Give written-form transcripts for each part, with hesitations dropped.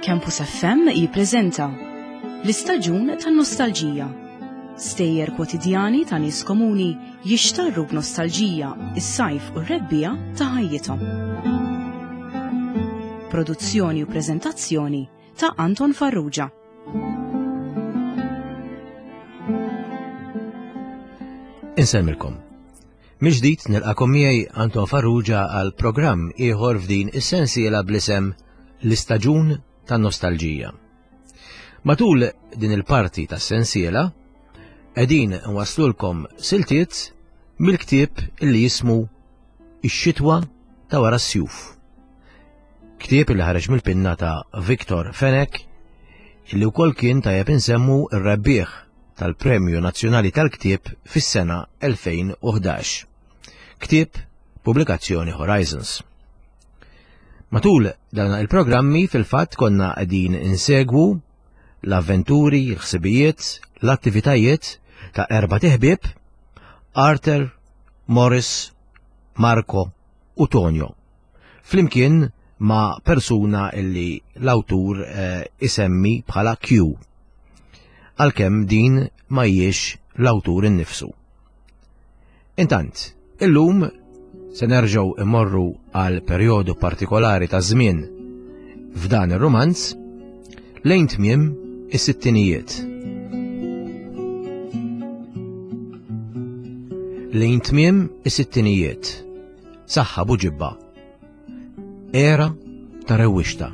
Campus FM jippreżenta L-istaġun tan-nostalġija. Stejjer kwotidjani ta' nies komuni jixtarru b'nostalġija is-sajf u r-rebbiegħa ta' ħajjithom. Produzzjoni u preżentazzjoni ta' Anton Farrugia. Insemmilkom. Mill-ġdid nilqakom miegħi Anton Farrugia għal programm ieħor f'din is-sensiela bl-isem L-Istaġun tan-Nostalġija. Matul din il-parti tas-sensiela qegħdin nwaslulkom siltiet mill-ktieb li jismu Ix-xitwa ta' wara s-sjuf. Ktieb li ħareġ mill-pinna ta' Victor Fenech illi wkoll kien tajjeb insemmu r-rebbieħ tal-Premju Nazzjonali tal-Ktieb fis-sena 2011. Ktieb pubblikazzjoni Horizons. Matul dan il-programmi fil-fatt konna qegħdin insegwu l-avventuri, l-ħsibijiet, l-attivitajiet ta' erba' teħbieb Arthur, Morris, Marco u Tonio. Flimkien ma' persuna illi l-awtur eh, isemmi bħala Q. Għalkemm din ma hijiex l-awtur innifsu. Intant, illum se nerġgħu immorru għal perjodu partikolari ta' żmien f'dan ir-rumanz lejn tmiem is-sittinijiet. Lejn tmiem is-sittinijiet. Saħħa Buġibba. Era ta' rewwixta.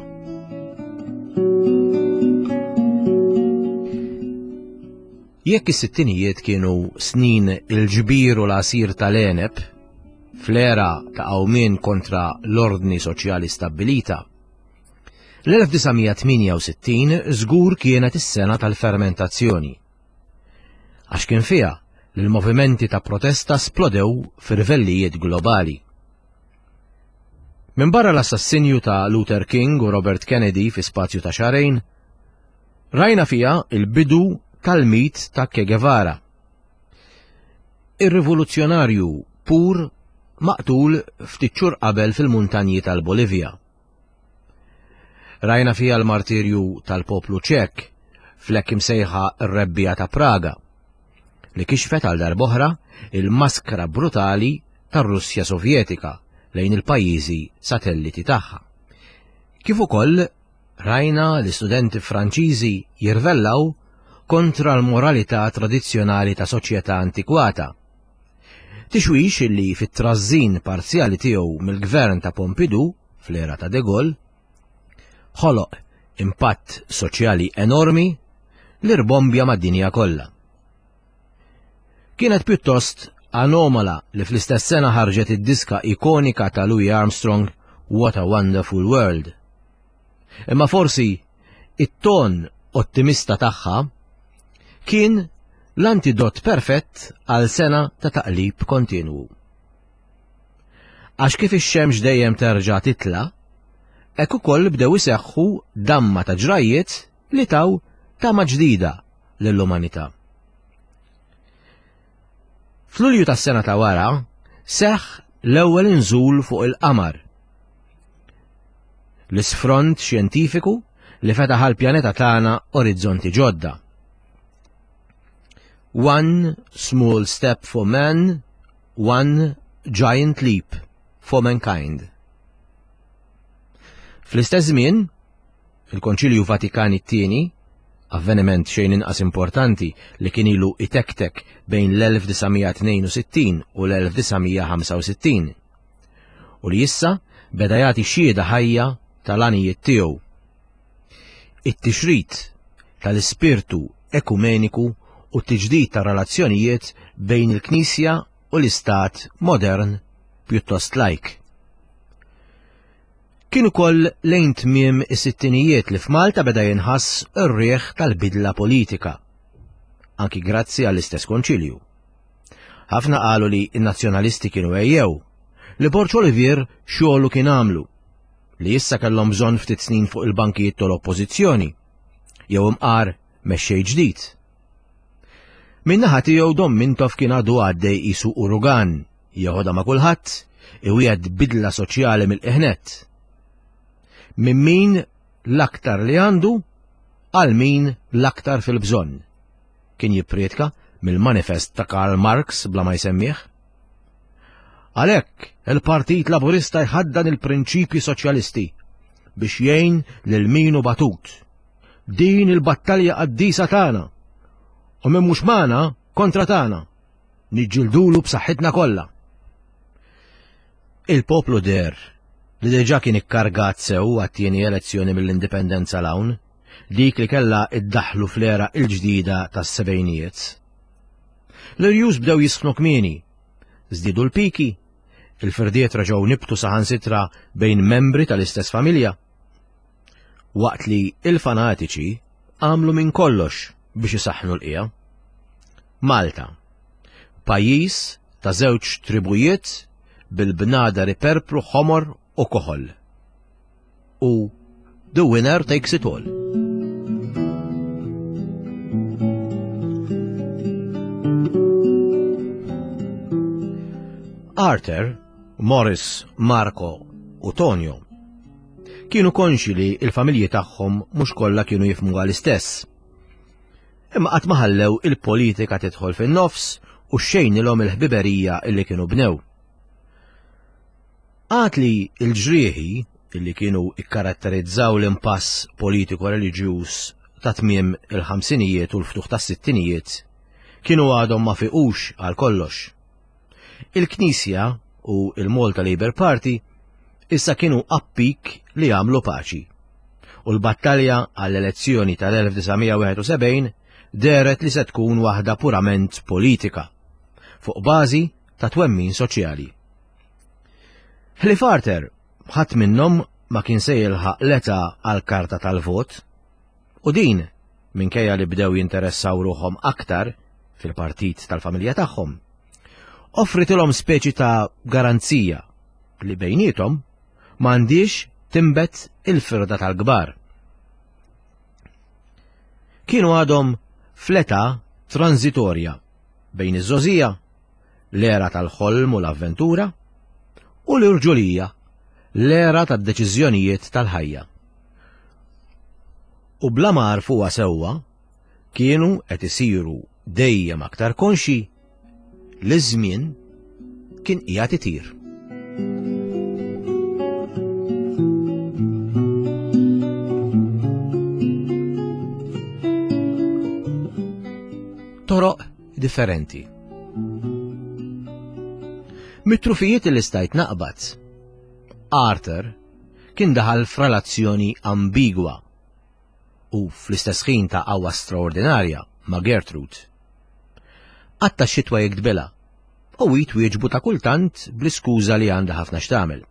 Jekk is-sittinijiet kienu snin il-ġbir u l-għasir tal-għeneb, fl-era ta' qawmien kontra l-ordni soċjali stabbilita, l-1968 żgur kienet is-sena tal-fermentazzjoni. Għax kien fiha li l-movimenti ta' protesta splodew f'irvellijiet globali. Minbarra l-assassinju ta' Luther King u Robert Kennedy fi spazju ta' xahrejn, rajna fiha il-bidu tal-mit ta' Che Guevara. Ir-rivoluzzjonarju pur maqtul ftit xhur qabel fil-muntanji tal-Bolivja. Rajna fiha l-martirju tal-poplu Ċek fl-hekk imsejħa r-Rebbiegħa ta' Praga, li kixfet għal darb'oħra il-maskra brutali tar-Russja Sovjetika lejn il-pajjiżi satelliti tagħha. Kif ukoll rajna l-istudenti Franċiżi jirvellaw kontra l-moralità tradizzjonali ta' soċjetà antikwata. Tixwix li fit-trażżin parzjali tiegħu mill-gvern ta' Pompidou fl-era ta' De Gaulle ħoloq impatt soċjali enormi li rbombja mad-dinja kollha. Kienet pjuttost anomala li fl-istess sena ħarġet id-diska ikonika ta' Louis Armstrong What a Wonderful World. Imma forsi it-ton ottimista tagħha kien l-antidot perfett għal sena ta' taqlib kontinwu. Għax kif ix-xemx dejjem terġa' titla', hekk ukoll bdew iseħħu damma ta' ġrajjiet li taw tama ġdida lill-umanità. F'Lulju tas-sena ta' wara seħħ l-ewwel inżul fuq il-qamar. L-isfront xjentifiku li fetaħ għall-pjaneta tagħna orizzonti ġodda. One small step for man, One Giant Leap for Mankind. Fl-istess żmien, il-Konċilju Vatikan it-Tieni, avveniment xejn inqas importanti li kien ilu itektek bejn l-1962 u l-1965, u li issa beda jagħti xhieda ħajja tal-għanijiet tiegħu. It-tixrid tal-ispirtu ekumeniku u t-tiġdid tar-relazzjonijiet bejn il-Knisja u l-Istat modern pjuttost lajk. Kien ukoll lejn tmiem is-sittinijiet li f'Malta beda jinħass ir-riħ tal-bidla politika, anki grazzi għall-istess konċilju. Ħafna qalu li n-nazzjonalisti kienu ejjew, li Borg Olivier xogħlu kien għamlu, li issa kellhom bżonn ftit snin fuq il-bankijiet tal-oppożizzjoni, jew imqar mexxej ġdid. Min-naħa tiegħu Dom Mintoff kien għadu għaddej qisu urugan, jeħodha ma' kulħadd, iwiegħed bidla soċjali mill-qiegħ nett. Minn min? l-aktar li għandu għal min l-aktar fil-bżonn. Kien jipprietka mill-manifest ta' Karl Marx bla ma jsemmih. Għalhekk, il-Partit Laburista jħaddan il-prinċipji soċjalisti biex jgħin lil min hu batut. Din il-battalja qaddisa tagħna. U min mhux magħna kontra tagħna. Niġġildulu b'saħħitna kollha. Il-poplu deher li diġà kien ikkargat sew għat-tieni elezzjoni mill-Indipendenza 'l hawn, dik li kellha iddaħħlu fl-era l-ġdida tas-sebgħinijiet. L-irjus bdew jisħnu kmieni, żdiedu l-piki, il-firdiet reġgħu nibtu saħansitra bejn membri tal-istess familja. Waqt li il-fanatiċi għamlu minn kollox biex isaħħnu l-qiegħa. Malta, pajjiż ta' żewġ tribujiet bil-bnadar iperpru ħomor u koħol. U the winner takes it all. Arthur, Morris, Marco u Tonio kienu konxi li il-familji tagħhom mhux kollha kienu jifhmuha l-istess. Imma qatt ma ħallew il-politika tidħol fin-nofs u xejnilhom il-ħbiberija illi kienu bnew. Għad li l-ġrieħi illi kienu ikkaratterizzaw l-impass politiku reliġjuż ta' tmiem il-ħamsinijiet u l-ftuħ tas-sittinijiet kienu għadhom ma fiqux għal kollox. Il-Knisja u il-Malta Labour Party issa kienu appik li jagħmlu paċi. U l-battalja għall-elezzjoni tal-1971 dehret li se tkun waħda purament politika, fuq bażi ta' twemmin soċjali. Ħlief Arthur, ħadd minnhom ma kien se jilħaq l-età għall-karta tal-vot, u din minkejja li bdew jinteressaw ruħhom aktar fil-partit tal-familja tagħhom. Offritilhom speċi ta' garanzija li bejniethom m'għandhiex tinbet il-firda tal-kbar. Kienu għadhom fl-età transitorja bejn iż-żgħożija, l-era tal-ħolm u l-avventura, u l-irġulija, l-era tad-deċiżjonijiet tal-ħajja. U bla ma għarfuha sewwa, kienu qed isiru dejjem aktar konxji li ż-żmien kien qiegħed itir. Toroq differenti. Mit-trufijiet li stajt naqbad, Arthur kien daħal f'relazzjoni ambigwa u fl-istess ħin ta' qawwa straordinarja ma' Gertrude. Qatta' x-xitwa jiktbilha u hi twieġbu ta' kultant bl-iskuża li għandha ħafna x'tagħmel.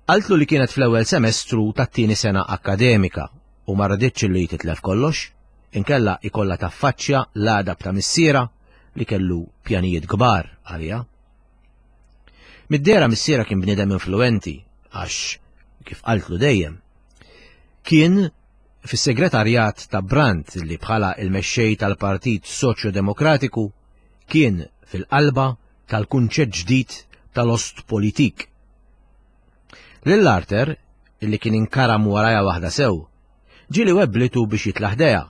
Qaltlu li kienet fl-ewwel semestru tat-tieni sena akkademika u ma raditx li titlef kollox, inkella ikollha taffaċċja l-għadab ta' missierha li kellu pjanijiet kbar għaliha. Mid-dehra missierha kien bniedem influenti għax, kif qaltlu dejjem, kien fis-segretarjat ta' Brandt li bħala il-mexxej tal-Partit Soċjo-Demokratiku kien fil-qalba tal-kunċett ġdid tal-Ostpolitik. Lil Arthur, illi kien inkaram warajha waħda sew, ġieli webblitu biex jitla' ħdejha.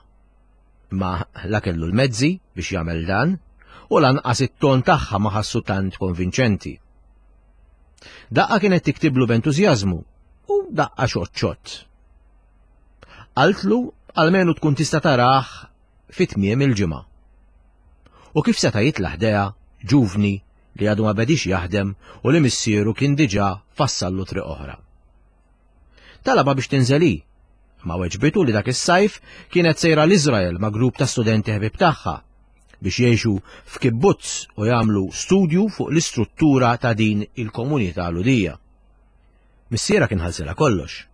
Imma la kellu l-mezzi biex jagħmel dan u lanqas it-ton tagħha ma ħassu tant konvinċenti. Daqqa kienet tiktiblu b'entużjażmu u daqqa xott xott. Qaltlu almenu tkun tista' tarah fi tmiem il-ġimgħa. U kif seta' jitla' ħdejha ġuvni li għadu ma bedix jaħdem u li missieru kien diġà fassallu triq oħra. Talabha biex tinżel hi, imma weġbitu li dak is-sajf kienet sejra l-Iżrael ma' grupp ta' studenti ħbieb tagħha biex jgħixu f'kibbutz u jagħmlu studju fuq l-istruttura ta' din il-komunità Lhudija. Missierha kien ħallsilha kollox.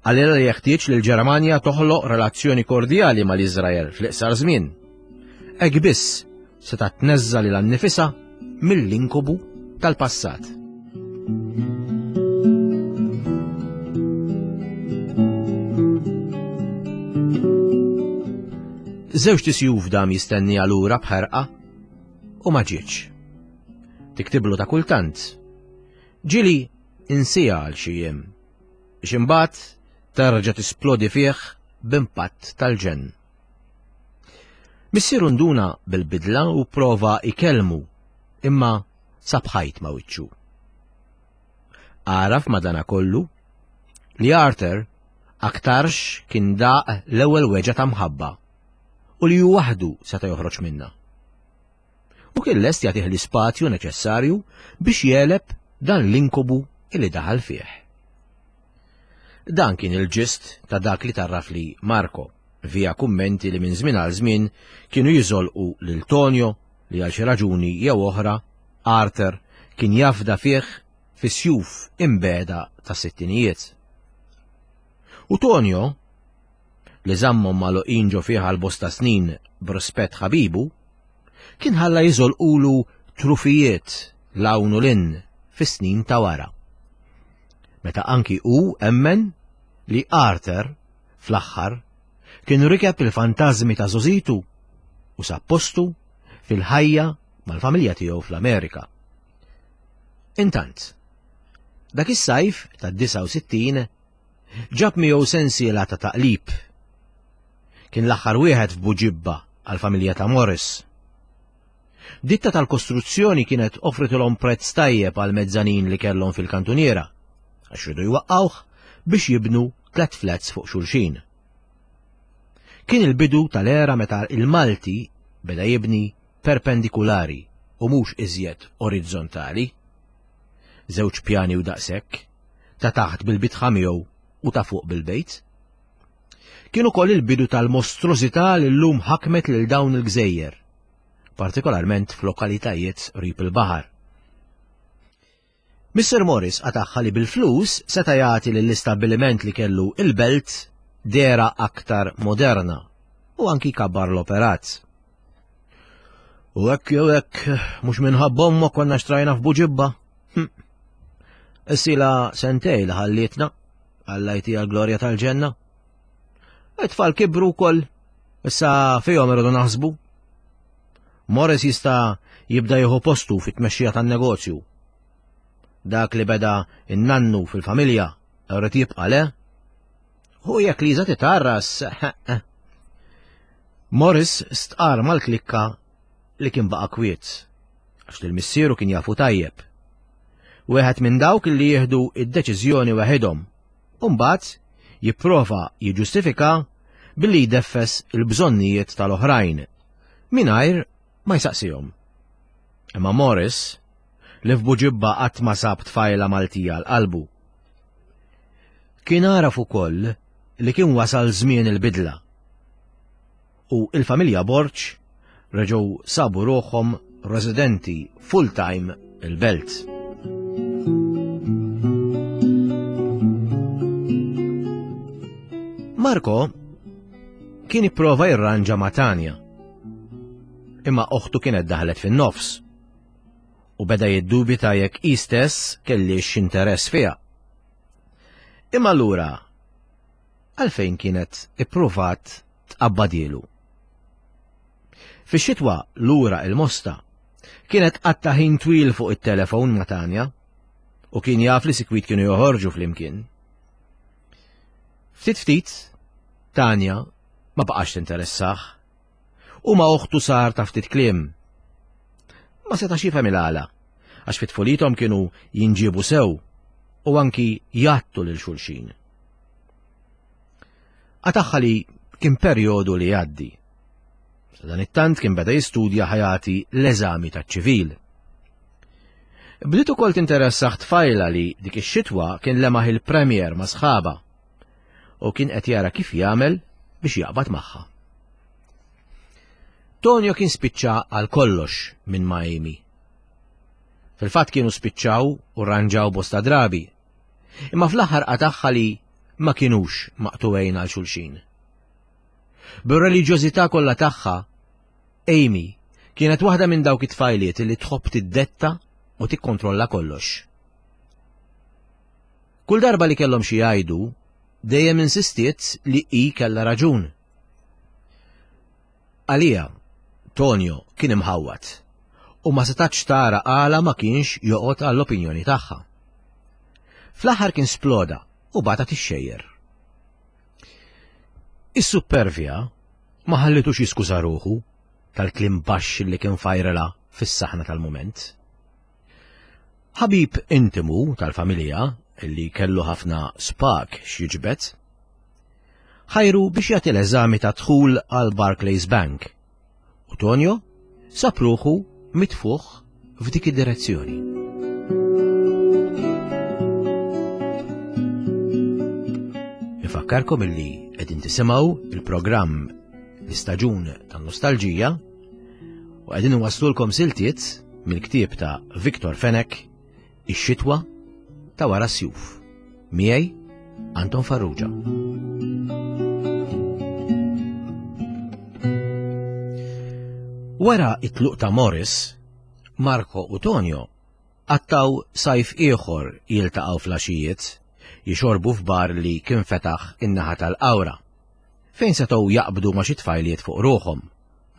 Qalilha li jeħtieġ li l-Ġermanja toħloq relazzjoni kordjali mal-Iżrael fl-iqsar żmien. Hekk biss setgħet tneżża' lilha nnifisha mill-inkubu tal-passat. Żewġ tisjuf dam jistenni lura b'ħerqa u ma ġietx. Tiktiblu ta' kultant. Ġili insija għal xi jiem biex imbagħad terġa' tisplodi fih b'impatt tal-ġenn. Missieru nduna bil-bidla u prova ikellmu, imma sab ħajt ma' wiċċu. Għaraf madanakollu li Arthur aktarx kien daq l-ewwel weġgħa ta' mħabba u li hu waħdu seta' joħroġ minnha. U kien lest jagħtih l-ispazju neċessarju biex jegħleb dan l-inkubu li daħal fih. Dan kien il-ġist ta' dak li tarrafli Marco, via kummenti li minn żmien għal żmien kienu jiżolqu lil Tonio li għal xi raġuni jew oħra Arthur kien jafda fih fis-sjuf imbegħda tas-sittinijiet. U Tonio, li żammhom magħluqin ġo fih għal bosta snin b'rispett ħabibu, kien ħalla jiżolqulu trufijiet 'l hawn u 'l hinn fis-snin ta' wara. Meta anki hu emmen li Arthur, fl-aħħar, kien rikeb il-fantażmi ta' żgħożitu u sab postu fil-ħajja mal-familja tiegħu fl-Amerika. Intant, dak is-sajf tad-69 ġab miegħu sensiela ta' taqlib. Kien l-aħħar wieħed f'Buġibba għall-familja ta' Morris. Ditta tal-kostruzzjoni kienet offritilhom prezz tajjeb għal mezzanin li kellhom fil-kantuniera, għax ridu jwaqqgħuh biex jibnu tlet flats fuq xulxin. Kien il-bidu tal-era meta il-Malti beda jibni perpendikulari u mhux iżjed orizzontali. Żewġ pjani u daqshekk, ta' taħt bil-bitħa miegħu u ta' fuq bil-bejt. Kien ukoll il-bidu tal-mostrużità li llum ħakmet lil dawn il-gżejjer, partikolarment f'lokalitajiet qrib il-baħar. Mr. Morris qatagħha li bil-flus seta' jagħti lill-istabbiliment li kellu il-belt dehra aktar moderna u anki jkabbar l-operat. U hekk jew hekk mhux minħabba ommok konna xtrajna f'Buġibba. Hm. Issila sentej li ħallietna, Alla jtiha l-glorja tal-ġenna. It-tfal kibru wkoll, issa fihom irridu naħsbu. Morris jista' jibda jieħu postu fit-tmexxija tan-negozju. Dak li beda in-nannu fil-familja rrid jibqa' le? Hu jekk Liza titarras. Morris stqar mal-klikka li kien baqa' kwiet, għax lil missieru kien jafu tajjeb. Wieħed minn dawk li jieħdu id-deċiżjoni waħedhom, u mbagħad jipprova jiġġustifika billi jdeffes il-bżonnijiet tal-oħrajn, mingħajr ma jsaqsihom. Imma Morris, li f'Buġibba qatt ma sab tfajla Maltija għal qalbu, kien għaraf ukoll li kien wasal żmien il-bidla. U il-familja Borg reġgħu sabu ruħhom residenti full-time il-belt. Marco kien ipprova jirranġa ma' Tanja. Imma oħtu kienet daħlet fin-nofs u beda jiddubita jekk hi stess kellix interess fiha. Imma allura għalfejn kienet ippruvat tqabbadielu? Fix-xitwa lura il-Mosta kienet qatta ħin twil fuq it-telefon ma' Tanja u kien jaf li sikwit kienu joħorġu flimkien. Ftit ftit, Tanja ma baqax tinteressah u ma' oħtu sar ta' ftit kliem. Ma setax jifhem il-għala, għax fit tfulithom kienu jinġiebu sew u anki jgħattu lil xulxin. Qatagħha li kien perjodu li jgħaddi. Dan it-tant kien beda jistudja ħajati l-eżami taċ-ċivil. Bdiet ukoll tinteressah tfajla li dik ix-xitwa kien lemaħ il-premier ma' sħaba u kien qed jara kif jagħmel biex jaqbad magħha. Tonio kien spiċċa għal kollox minn ma' Amy. Fil-fatt kienu spiċċaw u rranġaw bosta drabi. Imma fl-aħħar qatagħha li ma kinux maqtugħin għal xulxin. Bir-reliġjożità kollha tagħha, Amy kienet waħda minn dawk it-tfajliet li tħobb tiddetta u tikkontrolla kollox. Kull darba li kellhom xi jgħidu, dejjem insistiet li hi kellha raġun. Għaliha, Tonio kien imħawwad u ma setatx tara għala ma kienx joqgħod għall-opinjoni tagħha. Fl-aħħar kien sploda u bagħatha tixxejjer. Is-suppervja ma ħallitux jiskuża ruħu tal-kliem baxx li kien fajrela fis-saħna tal-mument. Ħabib intimu tal-familja li kellu ħafna spak x'jiġbed, ħajru biex jagħti l-eżami ta' dħul għal Barclays Bank u Tonio sab ruħu mitfuħ f'dik id-direzzjoni. Nifakkarkom illi qegħdin tisimgħu il-programm l-istaġun tan-nostalġija u qegħdin iwasslulkom siltiet mill-ktieb ta' Victor Fenech Ix-xitwa ta' wara s-sjuf. Miegħi Anton Farrugia. Wara it-tluq ta' Morris, Marco u Tonio qattaw sajf ieħor jiltaqgħu flaxijiet, jixorbu f'bar li kien fetaħ in-naħa tal-qawra, fejn setgħu jaqbdu ma' xi tfajliet fuq ruħhom,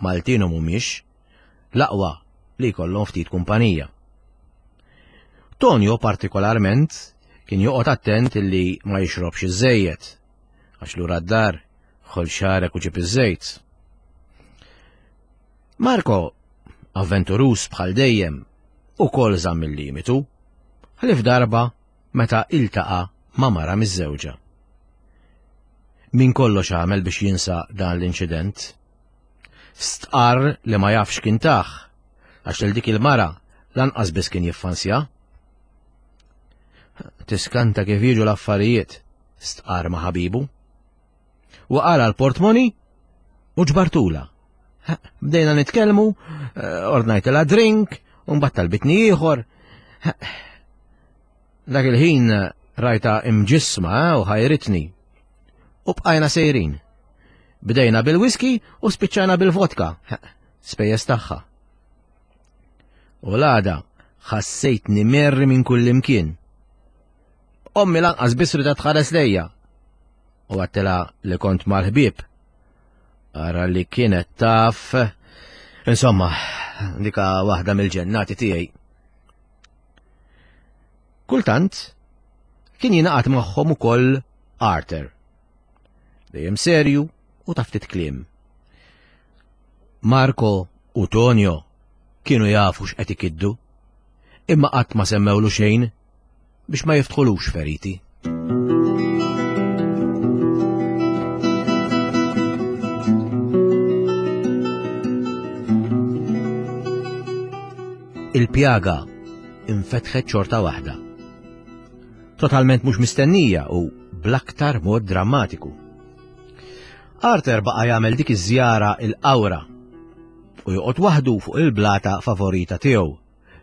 Maltin u mhumiex, l-aqwa li jkollhom ftit kumpanija. Tonio partikolarment kien joqgħod attent illi ma jixrobx iżżejjed, għax lura d-dar ħol xarek u ġib iż-żejt. Marco, avventurus bħal dejjem, ukoll żamm il-limitu, ħlief darba meta iltaqa' ma' mara miżżewġa. Min kollox għamel biex jinsa dan l-inċident. Stqarr li ma jafx kien tah, għax lil dik il-mara lanqas biss kien jiffansja. Tiskanta kif jiġu l-affarijiet, stqarr ma' ħabibu. Waqala l-portmoni u ġbartula. Bdejna nitkellmu, eh, ordnajtilha drink, u mbagħad talbitni ieħor. Dak il-ħin rajta imġisma eh, u ħajritni. U bqajna sejrin. Bdejna bil-whisky u spiċċajna bil-vodka. Spejjeż tagħha. U l-għada ħassejtni merri minn kull imkien. Ommi lanqas biss rida tħares lejja. U għattela li kont mal-ħbieb. Ara li kienet taf. Insomma, dika waħda mill-ġennati tiegħi. Kultant, kien jingħaqad magħhom ukoll Arthur. Dejjem serju u ta' ftit kliem. Marco u Tonio kienu jafu x'qed ikiddu, imma qatt ma semmewlu xejn biex ma jiftħulux feriti. Il-pjaga infetħet xorta waħda. Totalment mhux mistennija u bl-aktar mod drammatiku. Arthur baqa' jagħmel dik iż-żjara il-qawra u joqgħod waħdu fuq il-blata favorita tiegħu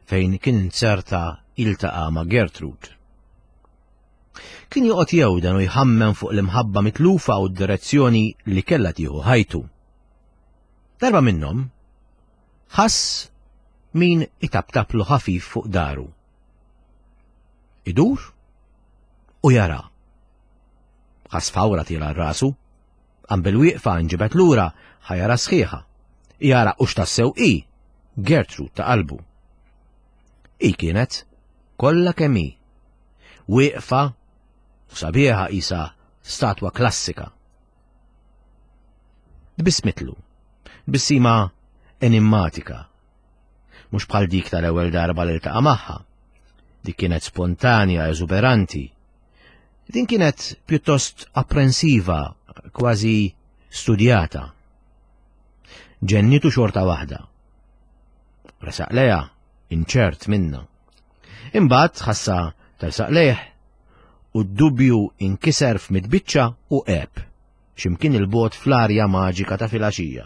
fejn kien inzerta jiltaqa' ma' Gertrude. Kien joqgħod jewden u jħammem fuq l-imħabba mitlufa u d-direzzjoni li kellha tieħu ħajtu. Darba minnhom, ħass min itaptaplu ħafif fuq daru. Idur u jara. Ħass fawra tiela rasu, qam bil-wieqfa nġibet lura ħajara sħiħa. Jara u x'tassew i, Gertrude ta' qalbu. I kienet kollha kemm hi. Wieqfa u sabiħa isa statwa klassika. Tbissmitlu, tbissima enimmatika, mhux bħal dik tal-ewwel darba li ltaqa' magħha. Dik kienet spontanja, eżuberanti. Din kienet pjuttost apprensiva, kważi studjata. Ġennitu xorta waħda. Resaq leja, inċert minna. Imbagħad ħassa tersaq lejh u d-dubju inkiser f'mitbiċċa u għeb, x'imkien il-bogħod fl-arja maġika ta' filgħaxija.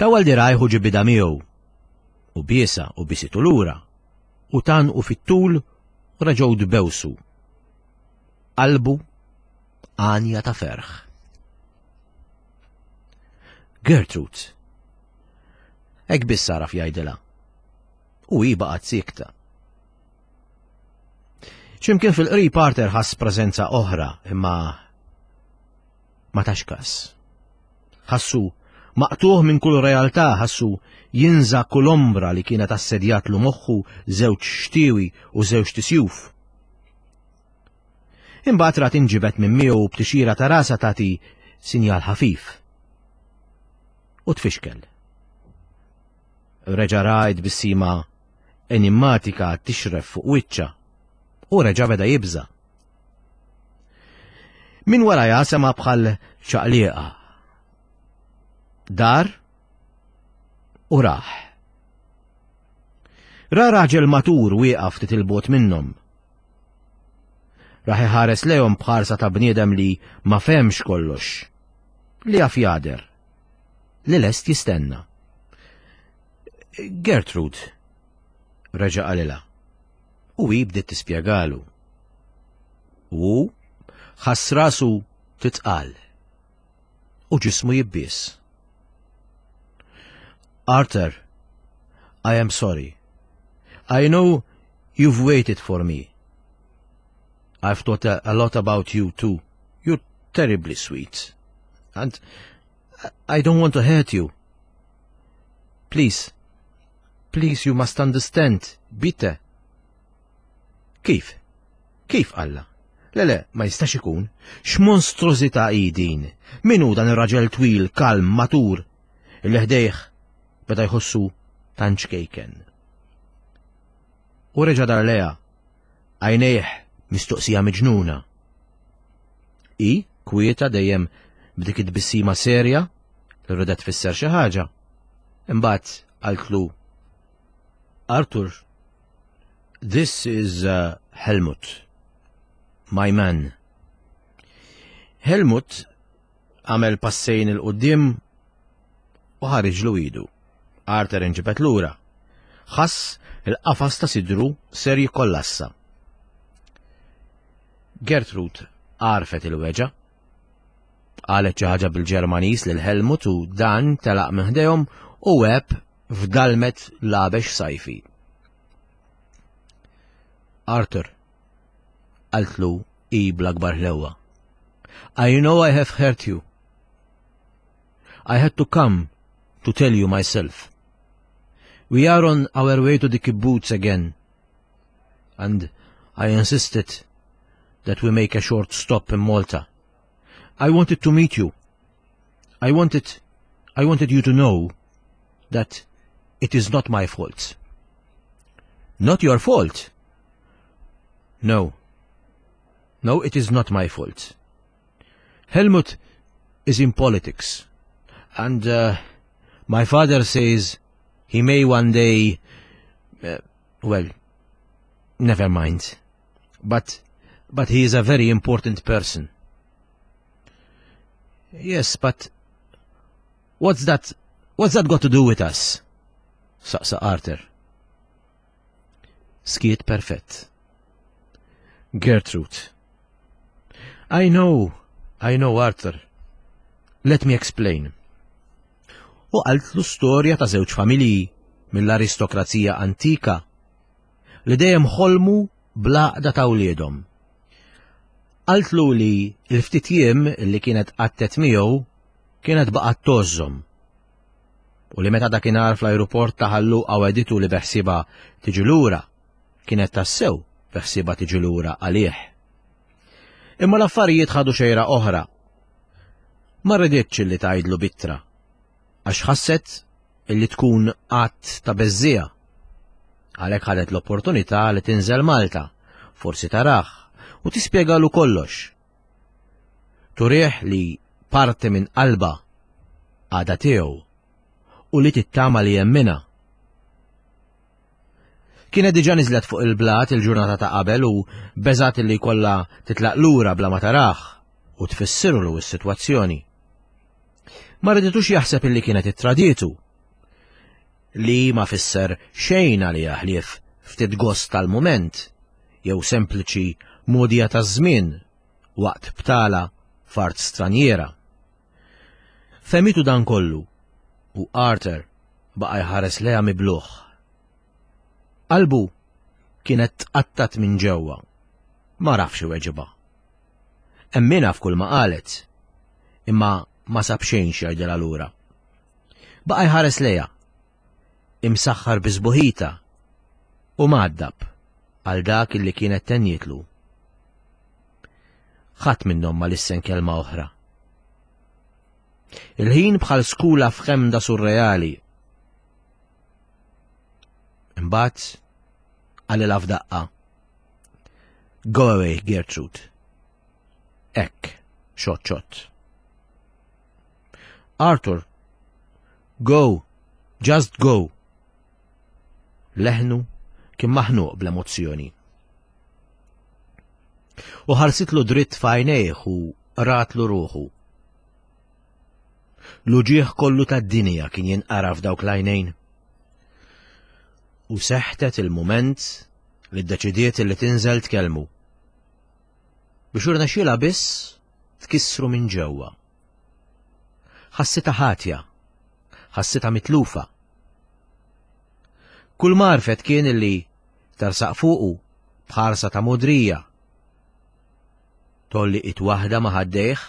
Tawwal dirgħajh u ġibidha miegħu, u biesha u bisitu lura, u tgħannqu fit-tul u reġgħu tbewsu. Qalbu għanja ta' ferħ. Gertrude. Hekk biss għaraf jgħidilha. U hi baqgħet siekta. X'imkien fil-qrib Arthur ħass preżenza oħra imma ma tax kas. Ħassu maqtuħ minn kull realtà, ħassu jinża kull ombra li kienet assedjatlu moħħu żewġ xtiewi u żewġ tisjuf. Imbagħad rat inġibet minn miegħu b'tixira ta' rasha tagħti sinjal ħafif. U tfixkel. Reġa' ra t-tbissima enimmatika tixref fuq wiċċha u reġa' beda jibża'. Min warajha sema' bħal ċaqliqa. Dar u raħ. Ra raġel matur wieqaf ftit il-bogħod minnhom. Raħ iħares lejhom b'ħarsa ta' bniedem li ma fehmx kollox, li jaf jagħder, li lest jistenna. Gertrude, reġa' qalilha. U hi bdiet tispjegalu. U hu ħass rasu titqal u ġismu jibbies. Arthur, I am sorry. I know you've waited for me. I've thought a, a lot about you too. You're terribly sweet. And I don't want to hurt you. Please, please you must understand, bitte. Kif? Kif Alla? Le le, ma jistax ikun. X'monstrużità hi din? Min hu dan ir-raġel twil, kalm, matur, illi ħdejh beda jħossu tant ċkejken? U reġa' dar lejha, għajnejh mistoqsija miġnuna. Hi, kwieta dejjem b'dik it-tbissima serja li ridet tfisser xi ħaġa. Imbagħad qaltlu Arthur, this is uh, Helmut, my man. Helmut għamel passejn il-qoddim u ħariġlu idu. Arthur inġibet lura. Ħass il-qafas ta' sidru ser jikkollassa. Gertrude għarfet il-weġa. Qalet xi ħaġa bil-Ġermaniż lil Helmut u dan telaq minn ħdejhom u għeb f'dalmet labex sajfi. Arthur, qaltlu hi bl-akbar ħlewwa. I know I have hurt you. I had to come to tell you myself. We are on our way to the kibbutz again. And I insisted that we make a short stop in Malta. I wanted to meet you. I wanted, I wanted you to know that it is not my fault. Not your fault. No. No, it is not my fault. Helmut is in politics. And uh, my father says he may one day... Uh, well, never mind. But, but he is a very important person. Yes, but what's that, what's that got to do with us? Saqsa Arthur. Skiet perfett. Gertrude. I know, I know, Arthur. Let me explain. U qaltlu storja ta' żewġ familji mill-aristokrazija antika li dejjem ħolmu bl-għaqda ta' wliedhom. Qaltlu li l-ftit jiem li kienet qattet miegħu kienet baqgħet tgħożżhom. U li meta dakinhar fl-ajruport ta' Ħal Luqa wegħditu li beħsiebha tiġi lura, kienet tassew beħsiebha tiġi lura għalih. Imma l-affarijiet ħadu xejra oħra. Ma riditx li tgħidlu b'ittra, għax ħasset illi tkun att ta' beżżiegħa. Għalhekk ħadet l-opportunità li tinżel Malta, forsi tarah, u tispjegalu kollox. Turih li parti minn qalbha għadha tiegħu u li tittama li jemminha. Kienet diġà niżlet fuq il-blat il-ġurnata ta' qabel u beżgħet li jkollha titlaq lura bla ma tarah u tfissirlu s-sitwazzjoni. Ma riditux jaħseb illi kienet ittradietu. Li ma fisser xejn għaliha ħlief ftit gost tal-mument jew sempliċi mogħdija taż-żmien waqt btala f'art stranjiera. Fehmitu dan kollu u Arthur baqa' jħares lejha mibluh. Qalbu kienet tqattat minn ġewwa. Ma rafx iweġibha. Emminha f'kull ma qalet, imma ma sab xejn x'jgħidilha lura. Baqa' jħares lejha, imsaħħar bi sbuħitha u mgħaddab għal dak illi kienet tennietlu. Ħadd minnhom ma lissen kelma oħra. Il-ħin bħal skula f'ħemda surreali. Imbagħad qalilha f'daqqa. Go away, Gertrude. Hekk, xott xott. Arthur, go, just go. Leħnu kien maħnuq bl-emozzjoni. U ħarsitlu dritt f'għajnejh u ratlu ruħu. L-uġieħ kollu tad-dinja kien jinqara f'dawk l-għajnejn. U seħtet il-mument li ddeċidiet li tinżel tkellmu. Biex irnexxielha biss tkissru minn ġewwa. Ħassitha ħatja, ħassitha mitlufa. Kull marfet kien li tersaq fuqu b'ħarsa ta' modrija. Tolli it waħda ma' ħaddejh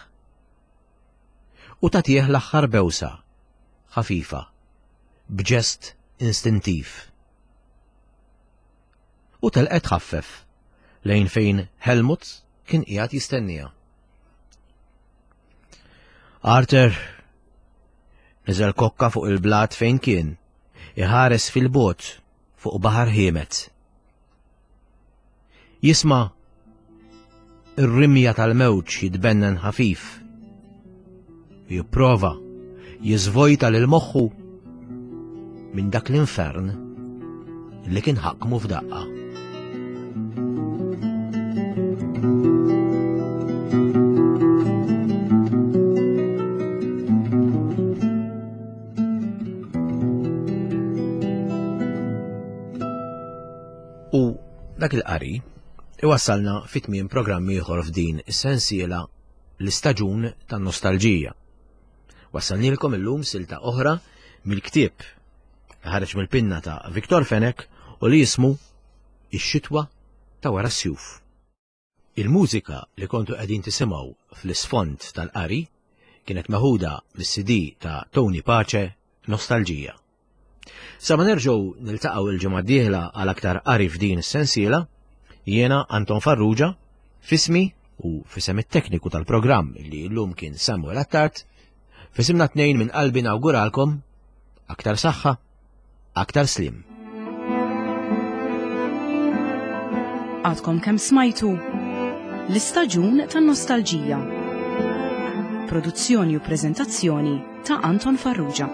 u tagħtih l-aħħar bewsa, ħafifa, b'ġest instintiv. U telqet tħaffef lejn fejn Helmut kien qiegħed jistenniha. Arthur niżel kokka fuq il-blat fejn kien, iħares fil-bot fuq baħar ħiemet. Jisma' ir-rimja tal-mewġ jitbennen ħafif. Jipprova jiżvojta lil moħħu minn dak l-infern li kien ħakmu f'daqqa. U dak il-qari iwassalna fi tmiem programm ieħor f'din is-sensiela l-istaġun tan-nostalġija. Wassalnilkom illum silta oħra mill-ktieb li ħareġ mill-pinna ta' Viktor Fenech u li jismu Ix-xitwa ta' wara s-sjuf. Il-mużika li kontu qegħdin tisimgħu fl-isfond tal-qari kienet meħuda mis-CD ta' Tony Pace Nostalġija. Sa ma nerġgħu niltaqgħu il-ġimgħa d-dieħla għal aktar qari f'din is-sensiela, jiena Anton Farrugia, fismi u fisem it-tekniku tal-programm li llum kien Samuel Attard, fisimna tnejn minn qalbi nawguralkom aktar saħħa, aktar slim. Għadkom kemm smajtu l-istaġun tan-nostalġija. Produzzjoni u preżentazzjoni ta' Anton Farrugia.